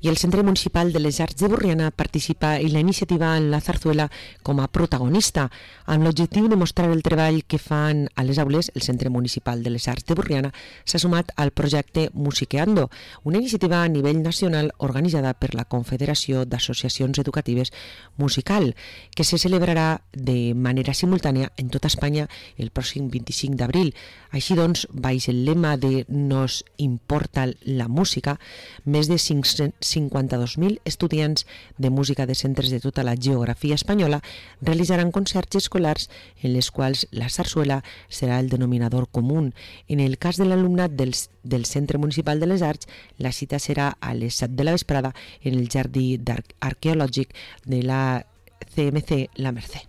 I el Centre Municipal de les Arts de Borriana participa en la iniciativa en la Zarzuela com a protagonista, amb l'objectiu de mostrar el treball que fan a les aules. El Centre Municipal de les Arts de Borriana s'ha sumat al projecte Musiqueando, una iniciativa a nivell nacional organitzada per la Confederació d'Associacions Educatives Musical, que se celebrarà de manera simultània en tota Espanya el pròxim 25 d'abril. Així doncs, baix el lema de Nos importa la música, més de 52.000 estudiants de música de centres de tota la geografia espanyola realitzaran concerts escolars en les quals la sarsuela serà el denominador comú. En el cas de l'alumnat del Centre Municipal de les Arts, la cita serà a les 7 de la vesprada en el jardí arqueològic de la CMC La Mercè.